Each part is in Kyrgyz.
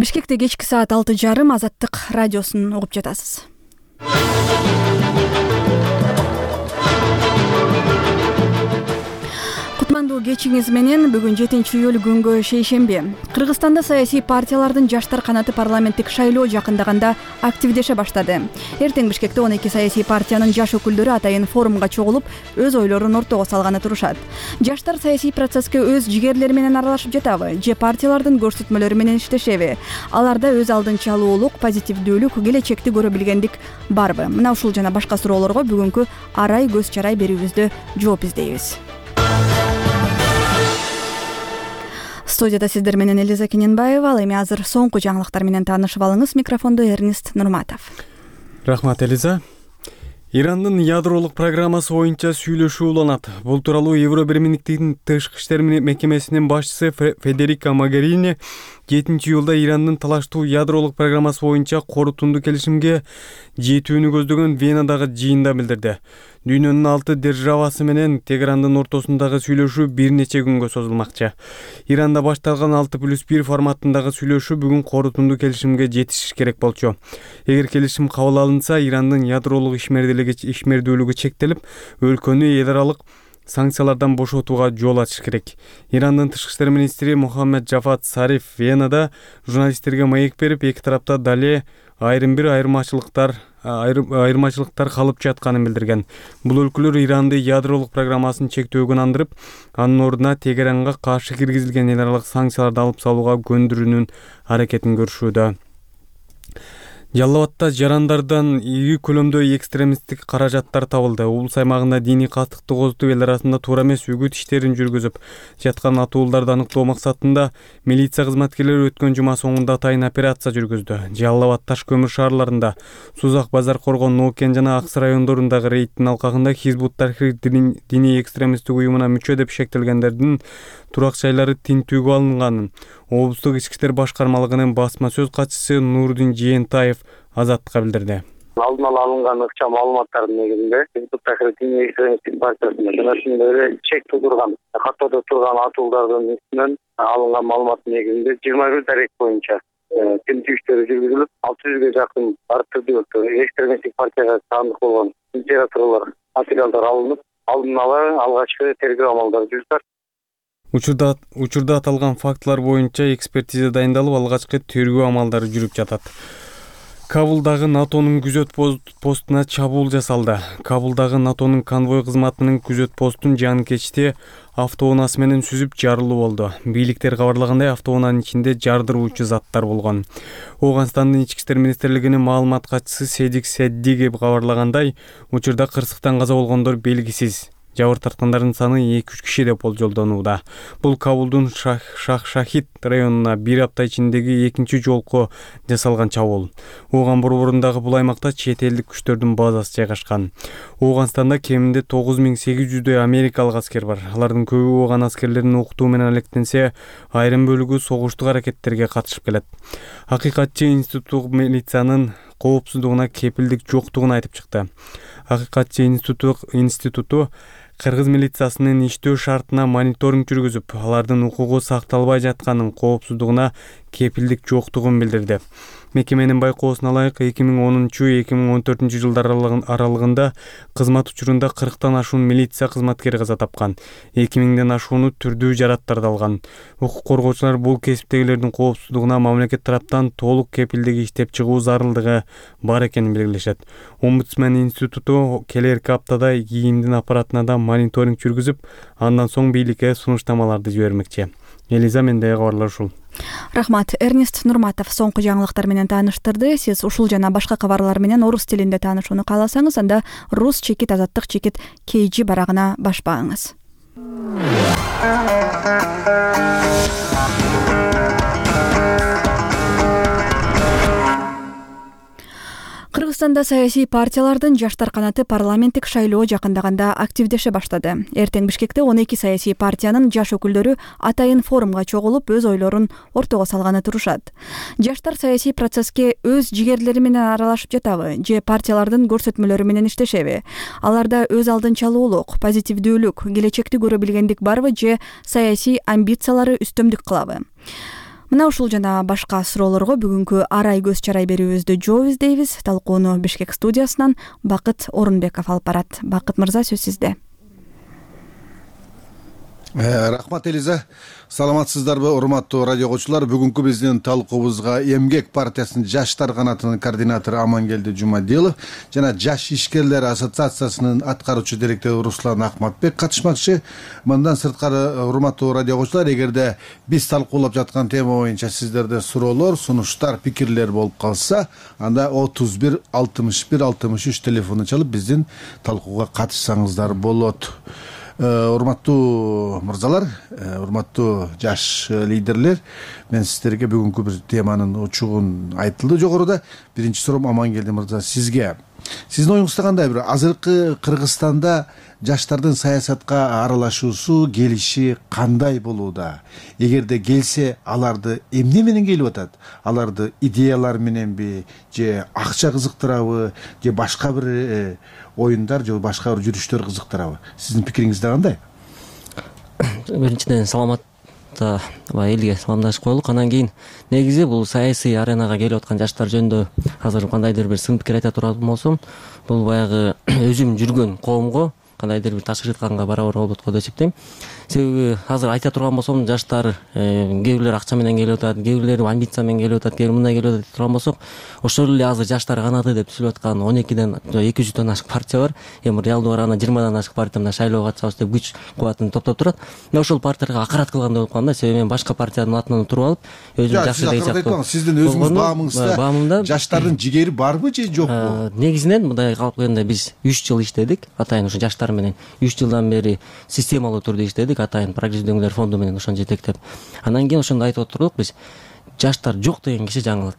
Бишкекте кечки саат 6:30 Азаттык радиосун угуп жатасыз. Кутмандуу кечиңиз менен бүгүн 7-июль күнгө шейшемби. Кыргызстанда саясий партиялардын жаштар канаты парламенттик шайлоо жакындаганда активдеше баштады. Эртең Бишкекте 12 саясий партиянын жаш өкүлдөрү атайын форумга чогулуп, өз ойлорун ортого салганы турушат. Жаштар саясий процесске өз жигерлери менен аралашып жатабы же партиялардын көрсөтмөлөрү менен иштешеби? Аларда өз алдынча алуулук, позитивдүүлүк, келечекти көрө билгендик барбы? Мына ушул жана башка суроолорго бүгүнкү арай көз чарай берүүбүздө жооп издейбиз. Студияда сиздер менен Элиза Кененбаева. Ал эми азыр соңку жаңылыктар менен таанышып алыңыз. Микрофондо Эрнест Нурматов. Рахмат, Элиза. Ирандын ядролук программасы боюнча сүйлөшүү уланат. Бул тууралуу Евробирминиктин тышкы иштер мекемесинин башчысы Федерика Могерини 7-июлда Ирандын талаштуу ядролук программасы боюнча корутунду келишимге жетүүнү көздөгөн Венадагы жыйында билдирди. Дүйнөнүн 6 державасы менен Тегерандын ортосундагы сүйлөшүү бир нече күнгө созулмакчы. Иранда башталган 6+1 форматындагы сүйлөшүү бүгүн корутунду келишимге жетишиш керек болчу. Эгер келишим кабыл алынса, Ирандын ядролук ишмердүүлүгү чектелип, өлкөнү эл аралык санкциялардан бошотууга жол ачыш керек. Ирандын тышкы иштер министри Мухаммед Джавад Зариф Венада журналисттерге маек берип, эки тарапта дале айырмачылыктар калып жатканын билдирген. Бул өлкөлөр Иранды ядролук программасын чектөөгөн андырып, анын ордуна Тегеранга каршы киргизилген эл аралык санкцияларды алып салууга көндүрүүнүн аракетин көрүшүүдө. Жалал-Абадта жарандардан ири көлөмдө экстремисттик каражаттар табылды. Облус аймагында диний каттыкты козутуп, эл арасында туура эмес үгүт иштерин жүргүзүп жаткан атууларды аныктоо максатында милиция кызматкерлери өткөн жума соңунда атайын операция жүргүздү. Жалал-Абад, Таш көмүр шаарларында, Сузак, Базар Коргон, Нокен жана Аксы райондорундагы рейдтин алкагында Хизбут Тахрир диний экстремисттик уюмуна мүчө деп шектелгендердин турак жайлары тинтүүгө алынганын облустук ички иштер башкармалыгынын басма сөз катчысы Нурдин Жээнтаев Азаттыкка билдирди. Алдын ала алынган ыкча маалыматтардын негизинде Хизбут Тахрир диний экстремисттик партиясына жана ошондой чек туудурган, каттоодо турган атуулардын үстүнөн алынган маалыматтын негизинде 21 дарек боюнча тинтүү иштери жүргүзүлүп, 600ге жакын ар түрдүү экстремисттик партияга таандык болгон литературалар, материалдар алынып, алдын ала алгачкы тергөө амалдары жүрүп жатат. Учурда аталган фактылар боюнча экспертиза дайындалып, алгачкы тергөө амалдары жүрүп жатат. Кабулдагы НАТОнун күзөт постуна чабуул жасалды. Кабулдагы НАТОнун конвой кызматынын күзөт постун жанкечте автоунаасы менен сүзүп жарылуу болду. Бийликтер кабарлагандай, автоунаанын ичинде жардыруучу заттар болгон. Ооганстандын ички иштер министрлигинин маалымат катчысы Седик Седдиги кабарлагандай, учурда кырсыктан каза болгондор белгисиз. Жабыр тарткандардын саны 2-3 киши деп болжолдонууда. Бул Кабулдун Шах-Шахид районуна бир апта ичиндеги экинчи жолку жасалган чабуул. Ооган борборундагы бул аймакта чет элдик күчтөрдүн базасы жайгашкан. Ооганстанда кеминде 9800 америкалык аскер бар. Алардын көбү ооган аскерлерин окутуу менен алектенсе, айрым бөлүгү согуштук аракеттерге катышып келет. Акыйкатчы институттук милициянын коопсуздугуна кепилдик жоктугун айтып чыкты. Акыйкатчы институту Кыргыз милициясынын иштөө шартына мониторинг жүргүзүп, алардын укугу сакталбай жатканын, коопсуздугуна кепилдик жоктугун билдирди. Мекеменин байкоосуна ылайык 2010-2014 жылдар аралыгында кызмат учурунда 40тан ашуун милиция кызматкери каза тапкан, 2000ден ашууну түрдүү жараттарды алган. Укук коргоочулар бул кесиптегилердин коопсуздугуна мамлекет тараптан толук кепилдик иштеп чыгуу зарылдыгы бар экенин белгилешет. Омбудсмен институту келерки аптада ИИМдин аппаратына да мониторинг жүргүзүп, андан соң бийликке сунуштамаларды жибермекчи. Элиза, мендеги кабарлар ушул. Рахмат. Эрнест Нурматов соңку жаңылыктар менен тааныштырды. Сиз ушул жана башка кабарлар менен орус тилинде таанышууну кааласаңыз, анда rus-azаттыk.kg барагына башпаңыз. Кыргызстанда саясий партиялардын жаштар канаты парламенттик шайлоо жакындаганда активдеше баштады. Эртең Бишкекте 12 саясий партиянын жаш өкүлдөрү атайын форумга чогулуп, өз ойлорун ортого салганы турушат. Жаштар саясий процесске өз жигерлери менен аралашып жатабы же партиялардын көрсөтмөлөрү менен иштешеби? Аларда өз алдынча алуулук, позитивдүүлүк, келечекти көрө билгендик барбы же саясий амбициялары үстөмдүк кылабы? Мына ушул жана башка суроолорго бүгүнкү арай көз чарай берүүбүздү жооп издейбиз. Талкууну Бишкек студиясынан Бакыт Орунбеков алып барат. Бакыт мырза, сөз сизде. Рахмат Элиза. Саламатсыздарбы, урматтуу радио окуучулар? Бүгүнкү биздин талкуубузга Эмгек партиясынын жаштар канатынын координатору Амангелди Жумадилов жана Жаш ишкерлер ассоциациясынын аткаруучу директору Руслан Акматбек катышмакчы. Мындан сырткары, урматтуу радио окуучулар, эгерде биз талкуулап жаткан тема боюнча сиздерде суроолор, сунуштар, пикирлер болуп калса, анда 31 61 63 телефону чалып биздин талкууга катышсаңыздар болот. Урматтуу мырзалар, урматтуу жаш лидерлер, мен сиздерге бүгүнкү бир теманын учугун айтылды жогоруда. Биринчи суроом Амангелди мырза, сизге. Сиздин оюңузда кандай? Бир азыркы Кыргызстанда жаштардын саясатка аралашуусу, келиши кандай болууда? Эгерде келсе, аларды эмне менен келип атат? Аларды идеялар мененби, же акча кызыктырабы, же башка бир оюндар, же башка бир жүрүштөр кызыктырабы? Сиздин пикириңизде кандай? Биринчиден саламатта элге саламдашып коелук. Анан кийин негизи бул саясий аренага келип аткан жаштар жөнүндө азыр кандайдыр бир сын пикир айта турган болсом, бул баягы өзүм жүргөн коомго кандайдыр бир таш ыйтканга барабар болот го деп эсептейм. Себеби азыр айта турган болсом, жаштар кээ бирлер акча менен келип атат, кээ бирлер амбиция менен келип атат, кээ мындай келип атат деп турган болсок, ошол эле азыр жаштар канаты деп түзүлүп аткан 12ден 200дөн ашык партия бар. Эми реалдуу караганда 20дан ашык партия мына шайлоого катышабыз деп күч кубатын топтоп турат. Мына ошол партияга акырат кылгандай болуп калган да. Себеби мен башка партиянын атынан туруп алып, өзүм жакшы деген сыяктуу. Сиздин өзүңүз баамыңызда жаштардын жигери барбы же жокпу? Негизинен мындай калып келгенде биз 3 жыл иштедик. Атайын ушу жаштар менен 3 жылдан бери системалуу түрдө иштедик. Атайын прогрессивдүүлөр фонду менен ошону жетектеп. Анан кийин ошондо айтып отурдук биз, жаштар жок деген киши жаңылат.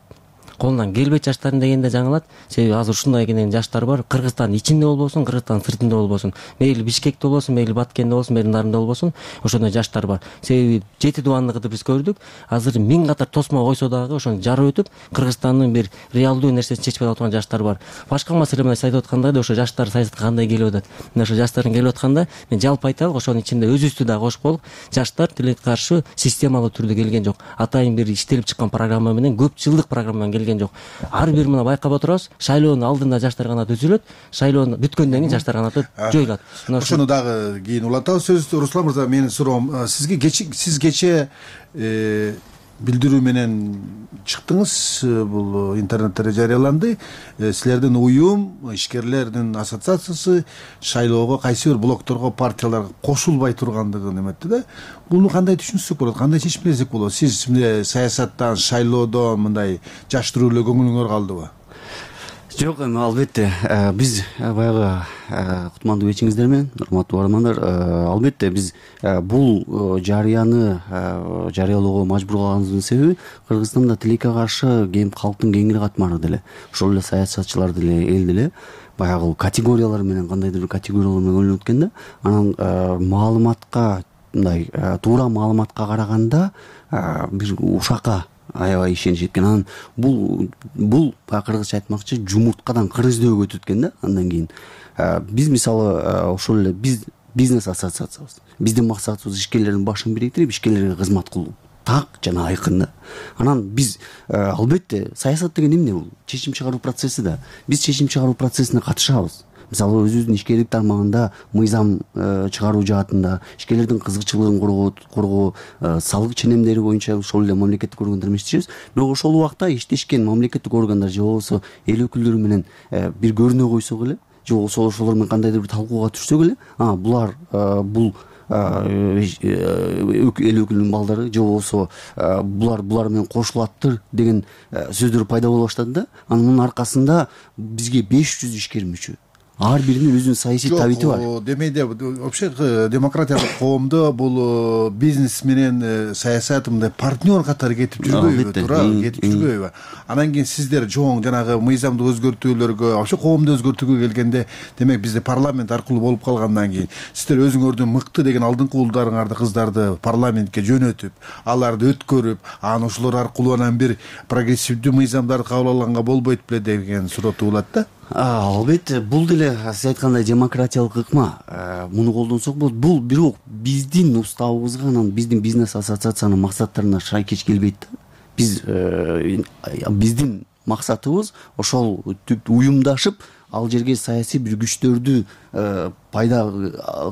Колунан келбейт жаштардын дегенде жаңылат. Себеби азыр ушундай кенен жаштар бар. Кыргызстандын ичинде болбосун, Кыргызстандын сыртында болбосун, мейли Бишкекте болбосун, мейли Баткенде болбосун, мейли Нарында болбосун, ошондой жаштар бар. Себеби 7 дубандыкты биз көрдүк. Азыр 1000 катар тосмо койсо дагы ошону жарып өтүп, Кыргызстандын бир реалдуу нерсесин чечпей отурган жаштар бар. Башка маселе менен айтып атканда да ошо жаштар саясатка кандай келип атат. Мына ошо жаштардын келип атканда мен жалпы айталык, ошонун ичинде өзүбүздү дагы кошуп коелук. Жаштар тилекке каршы системалуу түрдө келген жок. Атайын бир иштелип чыккан программа менен, көп жылдык программа менен келген жок. Ар бир мына байкап отурабыз, шайлоонун алдында жаштар канаты түзүлөт, шайлоо бүткөндөн кийин жаштар канаты жоюлат. Ошону дагы кийин улантабыз. Сөзү Руслан мырза, менин суроом, сиз кече билдирүү менен чыктыңыз, бул интернетте жарыяланды. Силердин уюм, ишкерлердин ассоциациясы шайлоого кайсы бир блокторго, партияларга кошулбай тургандыгын эметти да. Буну кандай түшүнсөк болот, кандай чечим берсек болот? Сиз саясаттан, шайлоодон мындай жаштыруу эле көңүлүңөр калдыбы? Жок, эми албетте биз баягы кутмандуу кечиңиздер менен, урматтуу бармандар, албетте биз бул жарыяны жарыялоого мажбур кылганыбыздын себеби Кыргызстанда тилекке каршы калктын кеңири катмары деле, ошол эле саясатчылар деле, эл деле баягы категориялар менен, кандайдыр бир категориялар менен бөлүнүп кеткен да. Анан маалыматка, мындай туура маалыматка караганда бир ушакка аябай ишениш эткен. Анан бул кыргызча айтмакчы жумурткадан кырыздөө өтүп кеткен да. Андан кийин биз мисалы ошол эле бизнес ассоциациябыз. Биздин максатыбыз ишкерлердин башын бириктирип, ишкерлерге кызмат кылуу. Так жана айкын да. Анан биз албетте саясат деген эмне бул? Чечим чыгаруу процесси да. Биз чечим чыгаруу процессине катышабыз. Мисалы өзүбүздүн ишкерлик тармагында мыйзам чыгаруу жаатында, ишкерлердин кызыкчылыгын коргоо, салык ченемдери боюнча ошол эле мамлекеттик органдар менен иштейбиз. Бирок ошол убакта иштешкен мамлекеттик органдар же болбосо эл өкүлдөрү менен бир көрүнө койсок эле, же болбосо ошолор менен кандайдыр бир талкууга түшсөк эле, булар бул эл өкүлүнүн балдары же болбосо булар менен кошулаттыр деген сөздөр пайда боло баштады да. Анын аркасында бизге 500 ишкер мүчө. Ар биринин өзүнүн саясий табити бар. Демейде, вообще демократиялык коомдо бул бизнес менен саясат мындай партнер катары кетип жүрбөйбү, кетип жүрбөйбү? Анан кийин сиздер жоң жанагы мыйзамды өзгөртүүлөргө, вообще коомду өзгөртүүгө келгенде, демек бизде парламент аркылуу болуп калгандан кийин сиздер өзүңөрдүн мыкты деген алдыңкы уулдарыңарды, кыздарды парламентке жөнөтүп, аларды өткөрүп, анан ошолор аркылуу анан бир прогрессивдүү мыйзамдарды кабыл алганга болбойт беле деген суроо туулат да. Албетте бул деле сиз айткандай демократиялык ыкма, муну колдонсок болот. Бул бирок биздин уставыбызга, анан биздин бизнес ассоциациянын максаттарына шайкеш келбейт да. Биздин максатыбыз ошол уюмдашып ал жерге саясий бир күчтөрдү пайда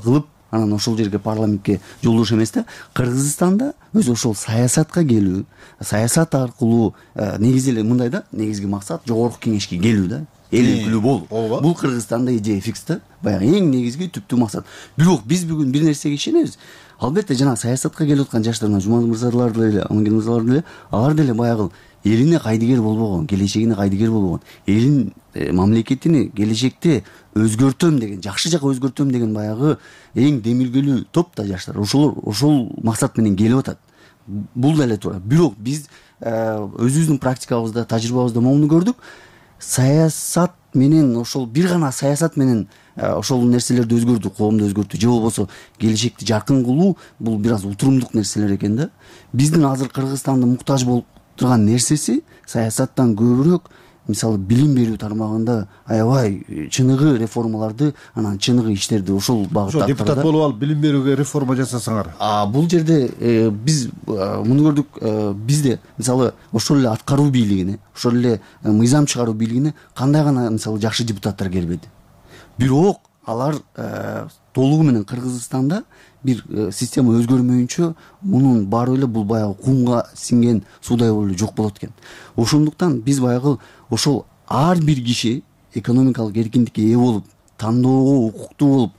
кылып, анан ошол жерге парламентке жолдош эмес да. Кыргызстанда өзү ошол саясатка келүү, саясат аркылуу негизи эле мындай да, негизги максат жогорку кеңешке келүү да, эл өкүлү болуу. Бул Кыргызстанда идея фикс да, баягы эң негизги түптүү максат. Бирок биз бүгүн бир нерсеге ишенебиз. Албетте жана саясатка келип аткан жаштар, Жумадыл мырзалар деле, Амангелди мырзалар деле, алар деле баягы элине кайдыгер болбогон, келечегине кайдыгер болбогон, элин мамлекетини келечекте өзгөртөм деген, жакшы жака өзгөртөм деген баягы эң демилгелүү топ да жаштар. Ошол максат менен келип атат. Бул деле туура. Бирок биз өзүбүздүн практикабызда, тажрыйбабызда моуну көрдүк. Саясат менен, ошол бир гана саясат менен ошол нерселерди өзгөртүү, коомду өзгөртүү же болбосо келечекти жаркын кылуу, бул бир аз утурумдук нерселер экен да. Биздин азыр Кыргызстандын муктаж болуп турган нерсеси саясаттан көбүрөөк, мисалы билим берүү тармагында аябай чыныгы реформаларды, анан чыныгы иштерди ошол багытта. Депутат болуп алып билим берүүгө реформа жасасаңар. Бул жерде биз муну көрдүк. Бизде мисалы ошол эле аткаруу бийлигине, ошол эле мыйзам чыгаруу бийлигине кандай гана мисалы жакшы депутаттар келбеди. Бирок алар толугу менен Кыргызстанда бир система өзгөрмөйүнчө мунун баары эле бул баягы кумга сиңген суудай болуп эле жок болот экен. Ошондуктан биз баягы ошол ар бир киши экономикалык эркиндикке ээ болуп, тандоого укуктуу болуп,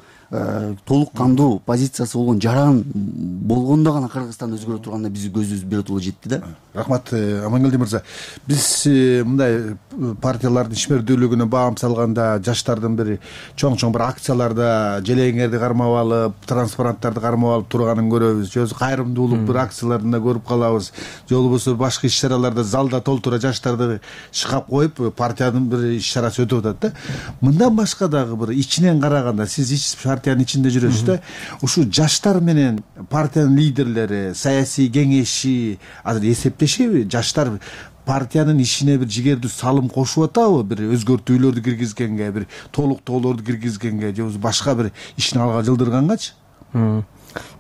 толук кандуу позициясы болгон жаран болгондо гана Кыргызстан өзгөрө турганда биздин көзүбүз биротоло жетти да. Рахмат, Амангелди мырза. Биз мындай партиялардын ишмердүүлүгүнө баам салганда, жаштардын бир чоң бир акцияларда желеңерди кармап алып, транспаранттарды кармап алып турганын көрөбүз. Же кайрымдуулук бир акцияларында көрүп калабыз. Же болбосо башка иш-чараларда залда толтура жаштарды шыкап коюп, партиянын бир иш-чарасы өтүп атат да. Мындан башка дагы бир ичинен караганда, сиз партиянын ичинде жүрөсүз да. Ушу жаштар менен партиянын лидерлери, саясий кеңеши азыр эсептешеби? Жаштар партиянын ишине бир жигердүү салым кошуп атабы? Бир өзгөртүүлөрдү киргизгенге, бир толуктоолорду киргизгенге, же башка бир ишин алга жылдыргангачы? Мен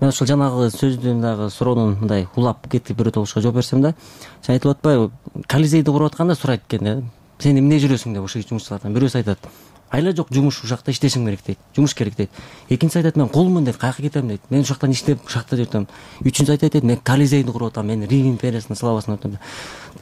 ошол жанагы сөздүн дагы суроонун мындай улап кетип биротолушка жооп берсем да. Сен айтып атпайбы, Колизейди куруп атканда сурайт экен да. Сен эмне жүрөсүң деп ошо жумушчулардан бирөөсү айтат. Айла жок, жумуш, ушакта иштешим керек дейт. Жумуш керек дейт. Экинчиси айтат, мен колмун дейт, каяка кетем дейт. Мен ушактан иштеп, ушакта жүрөм. Үчүнчүсү айтат, мен Колизейди куруп атам, мен Рим империясынын славасын атам.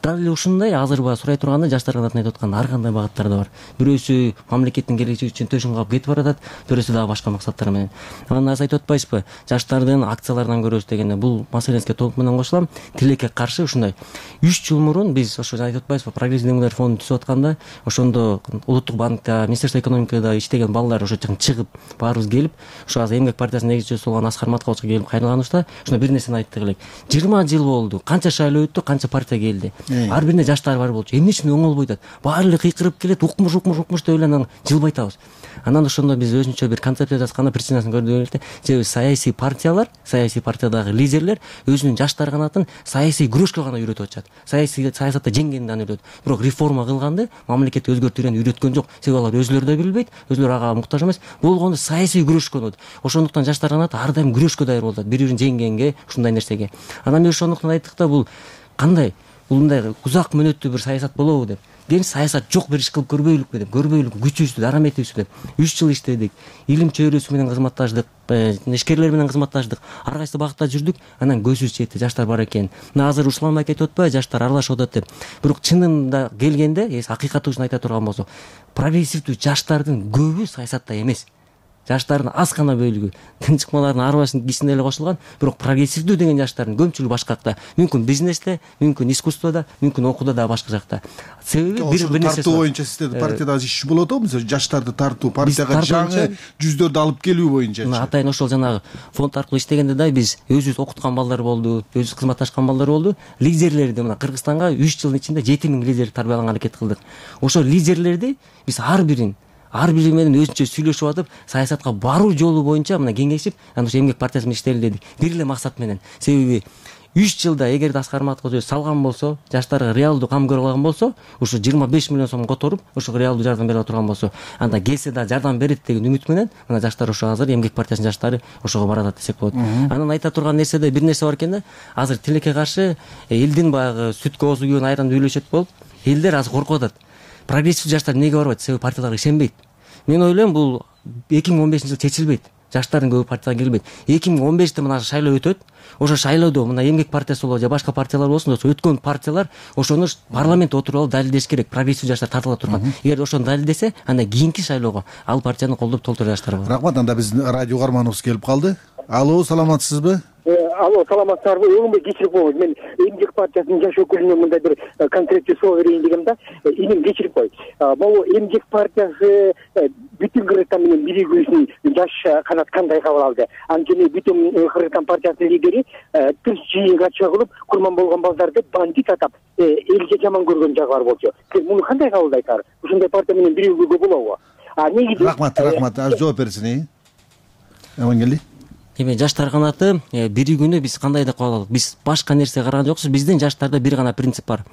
Дал эле ушундай азыр баягы сурай турганда жаштар канатын айтып аткан ар кандай багыттарда бар. Бирөөсү мамлекеттин келечеги үчүн төшүн кагып кетип баратат, бирөөсү дагы башка максаттар менен. Анан азыр айтып атпайсызбы, жаштардын акцияларынан көрөбүз дегенде, бул маселеңизге толук менен кошулам. Тилекке каршы ушундай 3 жыл мурун биз ошо айтып атпайсызбы, прогрессивдүү демократтар фонду түзүп атканда, ошондо Улуттук банкта, Министерство экономикада иштеген балдар ошо жактан чыгып, баарыбыз келип, ошо азыр Эмгек партиясынын негизчиси болгон Аскар Маткаловичка келип кайрылганыбызда, ошондо бир нерсени айттык элек. 20 жыл болду, канча шайлоо өттү, канча партия келди. Ар бирине жаштар бар болчу. Эмне үчүн оңолбой атат? Баары эле кыйкырып келет, укмуш деп эле анан жылбай атабыз. Анан ошондо биз өзүнчө бир концепция жазганда причинасын көрдүк эле. Же саясий партиялар, саясий партиядагы лидерлер өзүнүн жаштар канатын саясий күрөшкө гана үйрөтүп атышат. Саясатта жеңгенди гана үйрөтөт. Бирок реформа кылганды, мамлекетти өзгөртүүнү үйрөткөн жок. Себеби алар өзүлөрү да билбейт, өзүлөрү ага муктаж эмес. Болгондо саясий күрөшкө болот. Ошондуктан жаштар канаты ар дайым күрөшкө даяр болот, бири-бирин жеңгенге, ушундай нерсеге. Анан биз ошондуктан айттык да, бул кандай? Бул мындай узак мөөнөттүү бир саясат болобу деп. Кийин саясат жок бир иш кылып көрбөйлүкпү деп, көрбөйлүк күчүбүздү, дараметибизди деп 3 жыл иштедик. Илим чөйрөсү менен кызматташтык, ишкерлер менен кызматташтык, ар кайсы багытта жүрдүк. Анан көзүбүз жетти, жаштар бар экен. Мына азыр ушламай кетип атпайбы, жаштар аралашып атат деп. Бирок чынында келгенде, акыйкаты үчүн айта турган болсок, прогрессивдүү жаштардын көбү саясатта эмес. Жаштардын аз гана бөлүгү тынчыкмалардын ар башынын кичине эле кошулган, бирок прогрессивдүү деген жаштардын көпчүлүгү башка жакта. Мүмкүн бизнесте, мүмкүн искусствода, мүмкүн окууда да башка жакта. Себеби бир нерсе тартуу боюнча сиздердин партияда иш болот го, мисалы жаштарды тартуу, партияга жаңы жүздөрдү алып келүү боюнча. Атайын ошол жанагы фонд аркылуу иштегенде да биз өзүбүз окуткан балдар болду, өзүбүз кызматташкан балдар болду. Лидерлерди мына Кыргызстанга 3 жылдын ичинде 7000 лидер тарбияланганга аракет кылдык. Ошол лидерлерди биз ар бири менен өзүнчө сүйлөшүп атып, саясатка баруу жолу боюнча мына кеңешип, анан ошо Эмгек партиясы менен иштели дедик. Бир эле максат менен. Себеби 3 жылда эгерде Аскар Маткозу салган болсо, жаштарга реалдуу кам көрө алган болсо, ушу 25 миллион сом которуп, ошого реалдуу жардам бере турган болсо, анда келсе да жардам берет деген үмүт менен мына жаштар ошо азыр Эмгек партиясынын жаштары ошого баратат десек болот. Анан айта турган нерседе бир нерсе бар экен да. Азыр тилекке каршы элдин баягы сүткө оозу күйгөн айран үйлөшөт болуп, элдер азыр коркуп атат. Прогрессив жаштар эмнеге барбайт? Себеби партияларга ишенбейт. Мен ойлойм, бул 2015-жылы чечилбейт. Жаштардын көбү партияга кирбейт. 2015-те мына шайлоо өтөт. Ошо шайлоодо мына Эмгек партиясы болобу же башка партиялар болсун, ошо өткөн партиялар ошону парламентте отуруп алып далилдеш керек. Прогрессив жаштар тартыла турган. Эгер ошону далилдесе, анда кийинки шайлоого ал партияны колдоп толтура жаштар болот. Рахмат. Анда биздин радио каарманыбыз келип калды. Алло, саламатсызбы? Алло, саламатсыздарбы? Өңүмбөй кечирип коюңуз. Мен Эмгек партиясынын жаш өкүлүнө мындай бир конкреттүү суроо берейин дегем да. Иним кечирип кой. Могу Эмгек партиясы бүтүн Кыргызстан менен биригүүсүн жаш канат кандай кабыл алды? Анткени бүтүн Кыргызстан партиясынын лидери түз жыйынга чыгылып, курман болгон балдарды бандит атап, элге жаман көргөн жагы бар болчу. Сиз муну кандай кабылдайсыздар? Ушундай партия менен биригүүгө болобу? Негизи Рахмат. Жооп берсин. Амангелди. Эми жаштар канаты биригүүнү биз кандай деп кабыл алдык? Биз башка нерсе караган жокпуз. Биздин жаштарда бир гана принцип бар.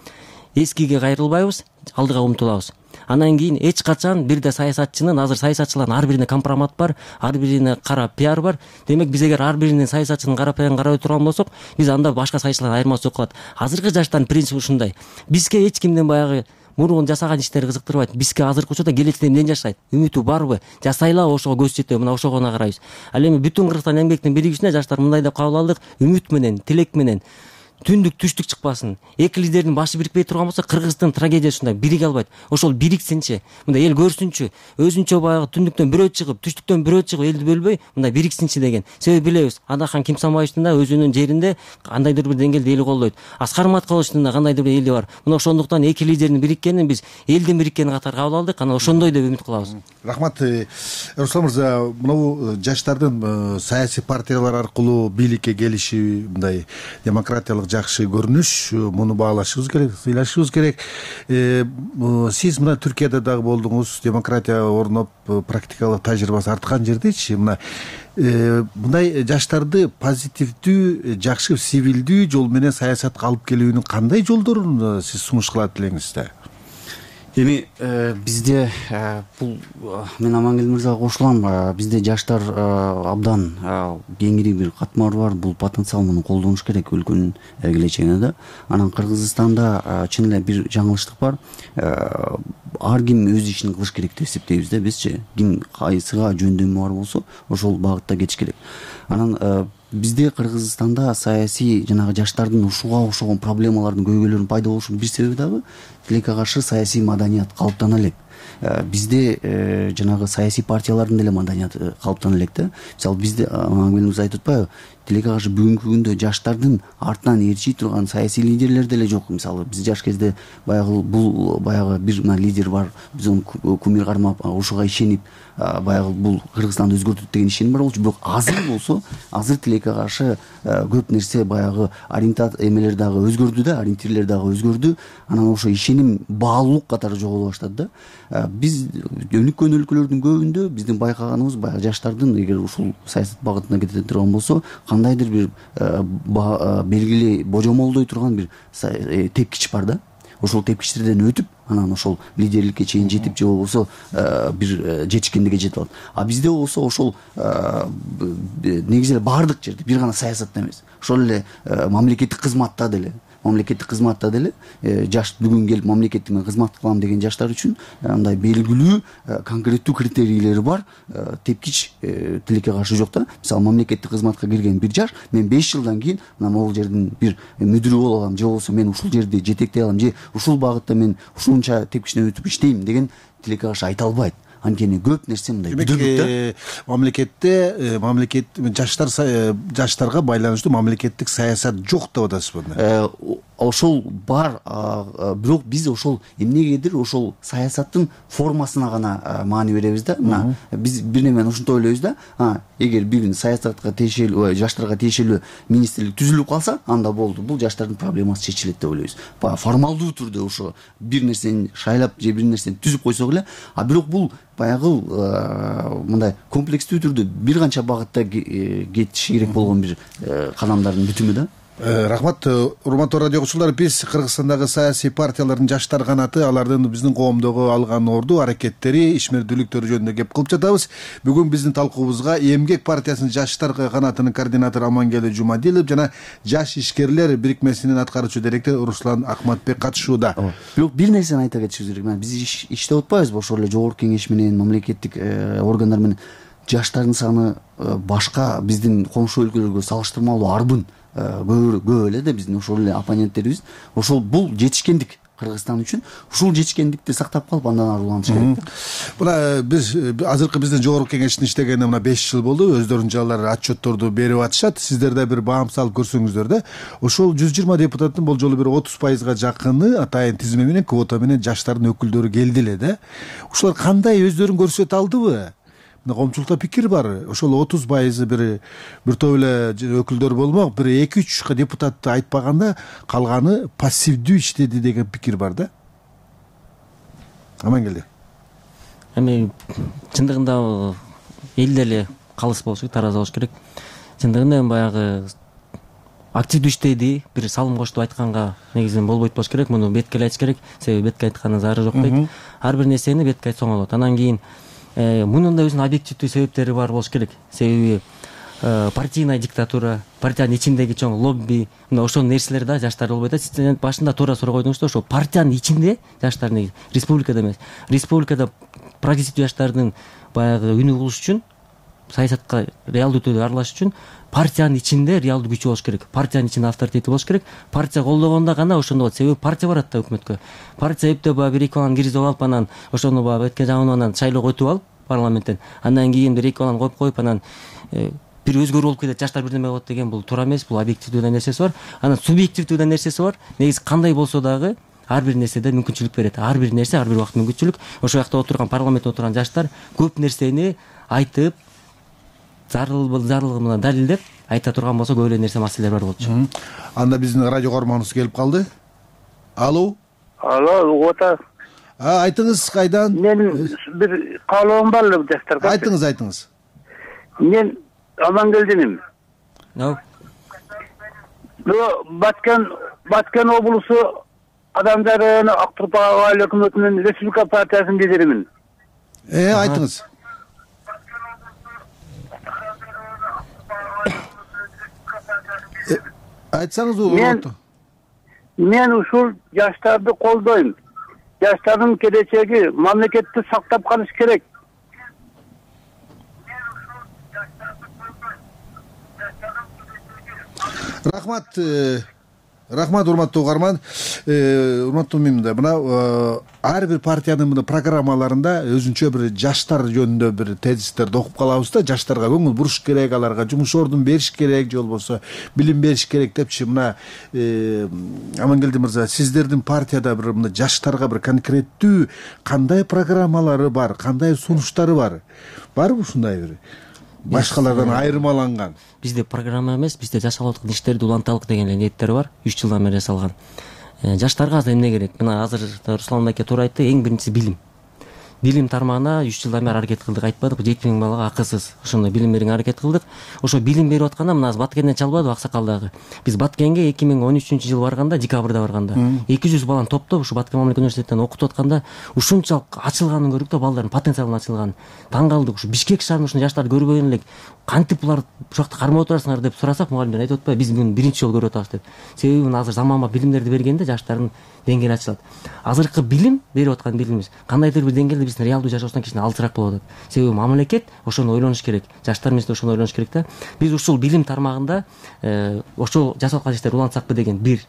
Эскиге кайрылбайбыз, алдыга умтулабыз. Анан кийин эч качан бирде саясатчынын, азыр саясатчылардын ар бирине компромат бар, ар бирине кара пиар бар. Демек биз эгер ар биринин саясатчынын кара пиарын карабай турган болсок, биз анда башка саясатчыларга айырмасы жок калат. Азыркы жаштардын принципи ушундай. Бизге эч кимден баягы мурун жасаган иштери кызыктырбайт. Бизге азыркы учурда келечекте эмнеден жашайт? Үмүтү барбы? Жасайлар, ошого көз жетеби, мына ошого гана карайбыз. Ал эми бүтүн Кыргызстан эмгектин биригүүсүнө жаштар мындай деп кабыл алдык: үмүт менен, тилек менен түндүк түштүк чыкпасын. Эки лидердин башы бирикпей турган болсо, Кыргыздын трагедиясы ушундай, бириге албайт. Ошол бириксинчи, мындай эл көрсүнчү, өзүнчө баягы түндүктөн бирөө чыгып, түштүктөн бирөө чыгып, элди бөлбөй, мындай бириксинчи деген. Себеби билебиз, Адахан Кимсанбаевдин да өзүнүн жеринде кандайдыр бир деңгээлде эли колдойт. Аскар Маткаловдун да кандайдыр бир эли бар. Мына ошондуктан эки лидердин бириккенин биз элдин бириккени катары кабыл алдык. Анан ошондой деп үмүт кылабыз. Рахмат. Руслан мырза, мына жаштардын саясий партиялар аркылуу бийликке келиши мындай демократиялык жакшы көрүнүш, муну баалашыбыз керек, сыйлашыбыз керек. Сиз мына Түркияда дагы болдуңуз, демократия орноп, практикалык тажрыйбасы арткан жердечи, мындай жаштарды позитивдүү, жакшы, сивилдүү жол менен саясатка алып келүүнүн кандай жолдорун сиз сунуш кылат элеңиз да? Эми бизде бул мен Амангелди мырзага кошулам. Бизде жаштар абдан кеңири бир катмар бар. Бул потенциал, муну колдонуш керек өлкөнүн келечегине да. Анан Кыргызстанда чын эле бир жаңылыштык бар. Ар ким өз ишин кылыш керек деп эсептейбиз да бизчи. Ким кайсыга жөндөмү бар болсо, ошол багытта кетиш керек. Анан бизде Кыргызстанда саясий жанагы жаштардын ушуга окшогон проблемалардын көйгөйлөрүнүн пайда болушунун бир себеби дагы тилекке каршы саясий маданият калыптана элек. Бизде жанагы саясий партиялардын деле маданияты калыптана элек да. Мисалы бизде Амангелди айтып атпайбы, тилекке каршы бүгүнкү күндө жаштардын артынан ээрчий турган саясий лидерлер деле жок. Мисалы биз жаш кезде баягы бул баягы бир лидер бар, биз аны кумир кармап, ушуга ишенип, баягы бул Кыргызстанды өзгөртөт деген ишеним бар болчу. Бирок азыр болсо, азыр тилекке каршы көп нерсе баягы эмелер дагы өзгөрдү да, ориентирлер дагы өзгөрдү. Анан ошо ишеним баалуулук катары жоголо баштады да. Биз өнүккөн өлкөлөрдүн көбүндө биздин байкаганыбыз баягы жаштардын эгер ушул саясат багытына кете турган болсо, кандайдыр бир белгилүү божомолдой турган бир тепкич бар да. Ошол тепкичтерден өтүп, анан ошол лидерликке чейин жетип, же болбосо бир жетишкендикке жетип алат. Бизде болсо ошол негизи эле баардык жерде бир гана саясатта эмес, ошол эле мамлекеттик кызматта деле жаш бүгүн келип мамлекеттик менен кызмат кылам деген жаштар үчүн андай белгилүү конкреттүү критерийлери бар тепкич тилекке каршы жок да. Мисалы мамлекеттик кызматка кирген бир жаш, мен 5 жылдан кийин мына могул жердин бир мүдүрү боло алам, же болбосо мен ушул жерди жетектей алам, же ушул багытта мен ушунча тепкичтен өтүп иштейм деген тилекке каршы айта албайт. Анткени көп нерсе мындай демек мамлекет жаштарга байланыштуу мамлекеттик саясат жок деп атасызбы? Ошол бар, бирок биз ошол эмнегедир ошол саясаттын формасына гана маани беребиз да. Мына биз бир немени ушинтип ойлойбуз да. Эгер бир саясатка тиешелүү, жаштарга тиешелүү министрлик түзүлүп калса, анда болду. Бул жаштардын проблемасы чечилет деп ойлойбуз. Формалдуу түрдө ошо бир нерсени шайлап же бир нерсени түзүп койсок эле, бирок бул баягы мындай комплекстүү түрдө бир канча багытта кетиши керек болгон бир кадамдардын бүтүмү да. Рахмат. Урматтуу радио окуучулар, биз Кыргызстандагы саясий партиялардын жаштар канаты, алардын биздин коомдогу алган орду, аракеттери, ишмердүүлүктөрү жөнүндө кеп кылып жатабыз. Бүгүн биздин талкуубузга Эмгек партиясынын жаштар канатынын координатору Амангелди Жумадилов жана Жаш ишкерлер бирикмесинин аткаруучу директору Руслан Акматбек катышууда. Бирок бир нерсени айта кетишибиз керек. Биз иштеп атпайбызбы ошол эле жогорку кеңеш менен, мамлекеттик органдар менен? Жаштардын саны башка биздин коңшу өлкөлөргө салыштырмалуу арбын көп эле да, биздин ошол эле оппоненттерибиз. Ошол бул жетишкендик Кыргызстан үчүн. Ушул жетишкендикти сактап калып андан ары улантыш керек. Мына биз азыркы биздин жогорку кеңештин иштегенине мына 5 жыл болду. Өздөрүнүн жалар отчетторду берип атышат. Сиздер да бир баам салып көрсөңүздөр да. Ошол 120 депутаттын болжолу бир 30%га жакыны атайын тизме менен, квота менен жаштардын өкүлдөрү келди эле да. Ушулар кандай өздөрүн көрсөтө алдыбы? Коомчулукта пикир бар. Ошол 30% бир топ эле өкүлдөр болмок, бир 2-3 депутатты айтпаганда калганы пассивдүү иштеди деген пикир бар да. Амангелди. Эми чындыгында эл деле калыс болуш керек, тараза болуш керек. Чындыгында эми баягы активдүү иштеди, бир салым кошту айтканга негизинен болбойт болуш керек. Муну бетке эле айтыш керек. Себеби бетке айткандын зары жок дейт. Ар бир нерсени бетке айтсаң болот. Анан кийин мунун да өзүнүн объективдүү себептери бар болуш керек. Себеби партийная диктатура, партиянын ичиндеги чоң лобби, мына ошол нерселер да жаштар болбойт. Сиз башында туура суроо койдуңуз да, ошол партиянын ичинде жаштар негизи, республикада эмес. Республикада прогрессивдүү жаштардын баягы үнү болуш үчүн, саясатка реалдуу түрдө аралашыш үчүн партиянын ичинде реалдуу күчү болуш керек. Партиянын ичинде авторитети болуш керек. Партия колдогондо гана ошондо болот. Себеби партия барат да өкмөткө. Партия эптеп баягы бир-эки баланы киргизип алып, анан ошону баягы этке жагынып анан шайлоого өтүп алып парламенттен. Андан кийин бир-эки баланы коюп, анан бир өзгөрүү болуп кетет, жаштар бирдеме болот деген бул туура эмес. Бул объективдүү да нерсеси бар. Анан субъективдүү да нерсеси бар. Негизи кандай болсо дагы ар бир нерседе мүмкүнчүлүк берет. Ар бир нерсе, ар бир убакыт мүмкүнчүлүк. Ошол жакта отурган, парламентте отурган жаштар көп нерсени айтып, зарылыгы менен далилдеп айта турган болсо көп эле нерсе, маселелер бар болчу. Анда биздин радио көрөрманыбыз келип калды. Алло, ота. Айтыңыз, кайдан? Мен бир каалоом бар эле жаштарга. Айтыңыз. Мен Амангелдиним. Баткен облусу Адамдарын Актурпа айыл өкмөтүнүн Республика партиясынын лидеримин. Айтыңыз. Айтсаңыз. Мен ушул жаштарды колдойм. Жаштардын келечеги мамлекетти сактап калыш керек. Рахмат, урматтуу угарман. Урматтуу мында мына ар бир партиянын мына программаларында өзүнчө бир жаштар жөнүндө бир тезистерди окуп калабыз да. Жаштарга көңүл буруш керек, аларга жумуш ордун бериш керек, же болбосо билим бериш керек депчи. Мына Амангелди мырза, сиздердин партияда бир мына жаштарга бир конкреттүү кандай программалары бар, кандай сунуштары бар? Барбы ушундай бир башкалардан айырмаланган? Бизде программа эмес, бизде жасалып аткан иштерди уланталык деген эле ниеттер бар. 3 жылдан бери жасалган. Жаштарга азыр эмне керек? Мына азыр Руслан аке туура айтты, эң биринчиси билим. Билим тармагына 3 жылдан бери аракет кылдык, айтпадык, 7000 балага акысыз ошондой билим берүүгө аракет кылдык. Ошо билим берип атканда мына Баткенден чалбадыбы, Аксакалдагы. Биз Баткенге 2013-жылы барганда, декабрда барганда 200 баланы топтоп ушу Баткен мамлекеттик университетинен окутуп атканда ушунчалык ачылганын көрдүк да, балдардын потенциалын ачылганын. Таң калдык. Ушу Бишкек шаарында ушундай жаштарды көрбөгөн элек. Кантип булар ушул жакта кармап отурасыңар деп сурасак, мугалимдер айтып атпайбы, биз буну биринчи жолу көрүп атабыз деп. Себеби мына азыр заманбап билимдерди бергенде жаштардын деңгээли ачылат. Азыркы билим берип аткан билимибиз кандайдыр бир деңгээлде биздин реалдуу жашообуздан кичине алысыраак болуп атат. Себеби мамлекет ошону ойлонуш керек, жаштар менен ошону ойлонуш керек да. Биз ушул билим тармагында ошол жасалып аткан иштерди улантсакпы деген бир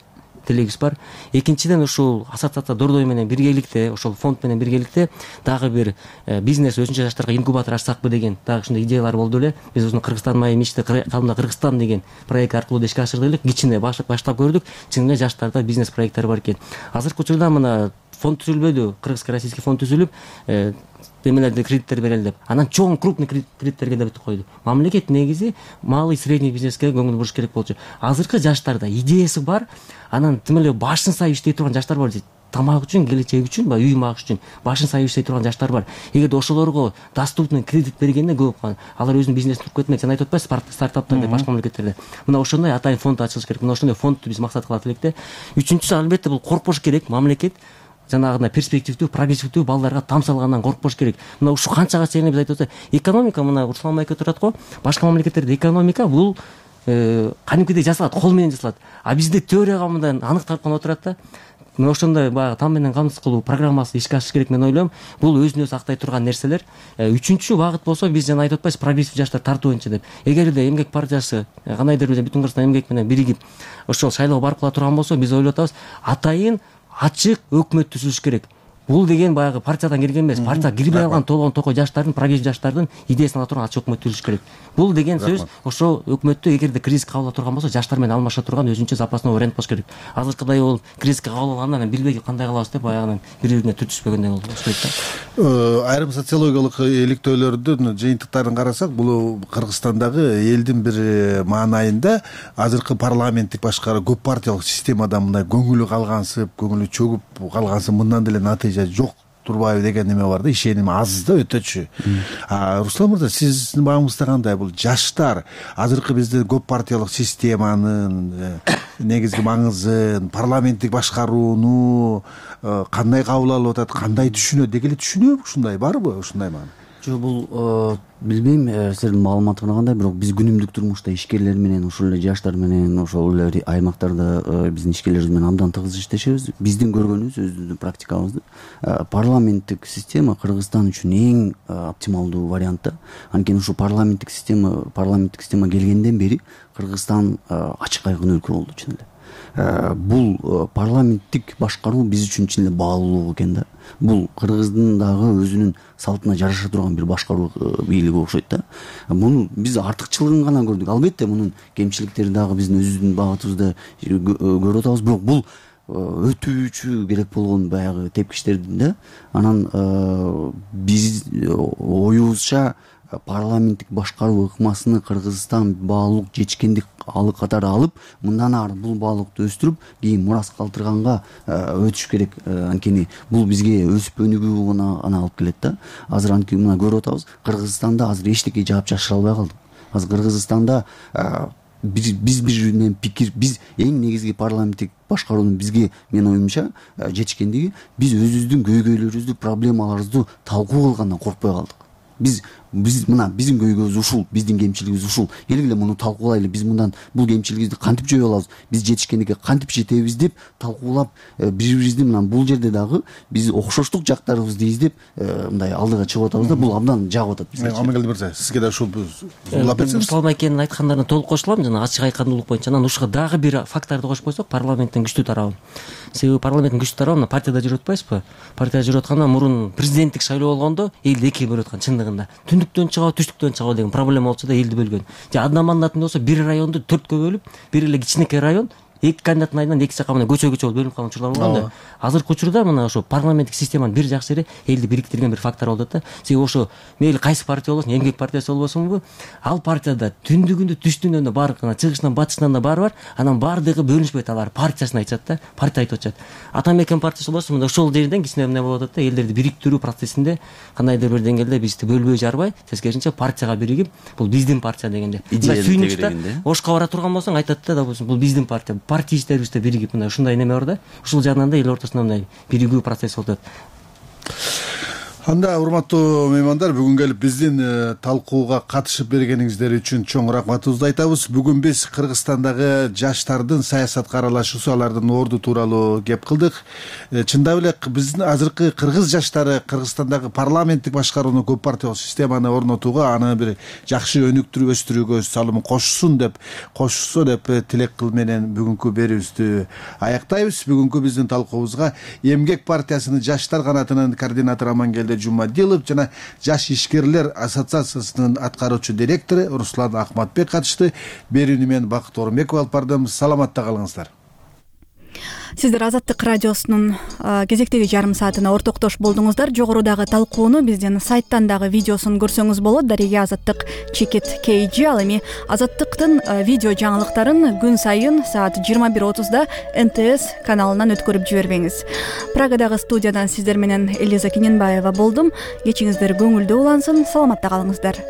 тилегибиз бар. Экинчиден ушул ассоциация Дордой менен биргеликте, ошол фонд менен биргеликте дагы бир бизнес өзүнчө жаштарга инкубатор ачсакпы деген дагы ушундай идеялар болду эле. Биз ушуну Кыргызстан майы мечти калымда Кыргызстан деген проект аркылуу да ишке ашырдык элек. Кичине баштап көрдүк. Чын эле жаштарда бизнес проекттери бар экен. Азыркы учурда мына фонд түзүлбөдү, кыргызско-российский фонд түзүлүп, демелерди кредиттер берели деп. Анан чоң крупный кредиттерге да бүтүп койду. Мамлекет негизи малый средний бизнеске көңүл буруш керек болчу. Азыркы жаштарда идеясы бар, анан тим эле башын сайып иштей турган жаштар бар. тамак үчүн, келечек үчүн, баягы үй магыш үчүн башын сайып иштей турган жаштар бар. Эгерде ошолорго доступный кредит бергенде көп алар өзүнүн бизнесин туруп кетмек. Сен айтып атпайсызбы, стартаптар деп башка мамлекеттерде. Мына ошондой атайын фонд ачылыш керек. Мына ошондой фондду биз максат кылат элек да. Үчүнчүсү, албетте бул коркпош керек. Мамлекет жанагындай перспективдүү, прогрессивдүү балдарга там салгандан коркпош керек. Мына ушул канчага чейин биз айтып атсак, экономика, мына Руслан майке турат го, башка мамлекеттерде экономика бул кадимкидей жасалат, кол менен жасалат. А бизде теорияга мындай аныкталып гана отурат да. Мына ошондой баягы там менен камсыз кылуу программасы ишке ашыш керек, мен ойлойм. Бул өзүн өзү актай турган нерселер. Үчүнчү багыт болсо, биз жана айтып атпайбыз, прогрессив жаштар тартуу боюнча деп. Эгерде эмгек партиясы кандайдыр бир бүтүн Кыргызстан эмгек менен биригип ошол шайлоо барып кала турган болсо, биз ойлоп атабыз, атайын ачык өкмөт түзүлүш керек. Бул деген баягы партиядан келген эмес, партияга кирбей алган толгон токой жаштардын, прогрессив жаштардын идеясын ала турган ачык өкмөт түзүлүш керек. Бул деген сөз ошол өкмөттү эгерде кризиске кабыл ала турган болсо, жаштар менен алмаша турган өзүнчө запасной вариант болуш керек. Азыркыдай болуп кризиске кабыл алганда мен билбей кандай кылабыз деп баягы бири-бирине түртүшпөгөндөй болуп баштайт да. Айрым социологиялык иликтөөлөрдүн жыйынтыктарын карасак, бул Кыргызстандагы элдин бир маанайында азыркы парламенттик башкаруу көп партиялык системадан мындай көңүлү калгансып, көңүлү чөгүп калгансып, мындан деле натыйжа жок турбайбы деген неме бар да, ишеним аз да өтөчү. Руслан мырза, сиздин багыңызда кандай? Бул жаштар азыркы бизде көп партиялык системанын негизги маңызын, парламенттик башкарууну кандай кабыл алып атат, кандай түшүнөт, деги эле түшүнөбү, ушундай барбы, ушундай маана? Жок, бул билбейм, силердин маалыматыңар кандай, бирок биз күнүмдүк турмушта ишкерлер менен, ошол эле жаштар менен, ошол эле аймактарда биздин ишкерлерибиз менен абдан тыгыз иштешебиз. Биздин көргөнүбүз, өзүбүздүн практикабызды, парламенттик система Кыргызстан үчүн эң оптималдуу вариант да. Анткени ушу парламенттик система келгенден бери Кыргызстан ачык айкын өлкө болду чын эле. Бул парламенттик башкаруу биз үчүн чын эле баалуулук экен да. Бул Кыргыздын дагы өзүнүн салтына жараша турган бир башкаруу бийлиги окшойт да. Муну биз артыкчылыгын гана көрдүк. Албетте мунун кемчиликтери дагы биздин өзүбүздүн багытыбызда көрүп атабыз, бирок бул өтүүчү керек болгон баягы тепкичтердин да. Анан биз оюбузча парламенттик башкаруу ыкмасыны Кыргызстан баалуулук жетишкендик катары алып, мындан ары бул баалуулукту өстүрүп, кийин мурас калтырганга өтүш керек. Анткени бул бизге өсүп өнүгүүгө ана алып келет да. Азыр анткени мына көрүп атабыз, Кыргызстанда азыр эчтеке жаап чашыра албай калдык. Азыр Кыргызстанда биз бири менен пикир, биз эң негизги парламенттик башкаруунун бизге, менин оюмча, жетишкендиги, биз өзүбүздүн көйгөйлөрүбүздү, проблемаларыбызды талкуу кылгандан коркпой калдык. Биз мына биздин көйгөйүбүз ушул, биздин кемчилигибиз ушул. Келгиле муну талкуулайлы, биз мындан бул кемчилигибизди кантип жөө алабыз, биз жетишкендикке кантип жетебиз деп талкуулап, бири-бирибизди мына бул жерде дагы биз окшоштук жактарыбызды издеп мындай алдыга чыгып атабыз да. Бул абдан жагып атат бизге. Амангелди мырза, сизге да ушул улап берсеңиз. Руслан айкенин айткандарына толук кошулам, жана ачык айкындуулук боюнча. Анан ушуга дагы бир факторду кошуп койсок, парламенттин күчтүү тарабы. Себеби парламенттин күчтүү тарабы мына партияда жүрүп атпайсызбы? Партияда жүрүп атканда мурун президенттик шайлоо болгондо элди экиге бөлүп аткан чындыгында. Түндүктөн чыгабы, түштүктөн чыгабы деген проблема болчу да, элди бөлгөн. Же одномандатный болсо бир районду 4кө бөлүп, бир эле кичинекей район эки кандидаттын айынан эки жака менен көчө болуп бөлүнүп калган учурлар болгон да. Азыркы учурда мына ошо парламенттик системанын бир жакшы жери элди бириктирген бир фактор болуп атат да. Себеби ошо мейли кайсы партия болбосун, эмгек партиясы болбосунбу, ал партияда түндүгүндө, түштүгүндө баары чыгышынан, батышынан да баары бар. Анан баардыгы бөлүнүшпөйт, алар партиясын айтышат да, партия айтып атышат. Атамекен партиясы болбосун, мында ошол жерден кичине эмне болуп атат да, элдерди бириктирүү процессинде кандайдыр бир деңгээлде бизди бөлбөй жарбай, тескерисинче партияга биригип, бул биздин партия дегенде. Сүйүнүчтө ошко бара турган болсоң айтат да, бул биздин партия, партия иштерибизде биригип мындай ушундай неме бар да. Ушул жагынан да эл ортосунда мындай биригүү процесс болуп атат. Анда урматтуу меймандар, бүгүн келип биздин талкууга катышып бергениңиздер үчүн чоң рахматыбызды айтабыз. Бүгүн биз Кыргызстандагы жаштардын саясатка аралашуусу, алардын орду тууралуу кеп кылдык. Чындап эле биздин азыркы кыргыз жаштары Кыргызстандагы парламенттик башкарууну, көп партиялык системаны орнотууга, аны бир жакшы өнүктүрүп өстүрүүгө өз салымын кошсо деп тилек кыл менен бүгүнкү берүүбүздү аяктайбыз. Бүгүнкү биздин талкуубузга Эмгек партиясынын жаштар канатынын координатору Амангелди Жумадилов жана Жаш ишкерлер ассоциациясынын аткаруучу директору Руслан Акматбек катышты. Берүүнү мен Бакыт Орунбеков алып бардым. Саламатта калыңыздар. Сиздер Азаттык радиосунун кезектеги жарым саатына ортоктош болдуңуздар. Жогорудагы талкууну биздин сайттан дагы видеосун көрсөңүз болот. Дареге Азаттык Чекит KG. Ал эми Азаттыктын видео жаңылыктарын күн сайын саат 21:30 НТС каналынан өткөрүп жибербеңиз. Прагадагы студиядан сиздер менен Элиза Кененбаева болдум. Кечиңиздер көңүлдүү улансын. Саламатта калыңыздар.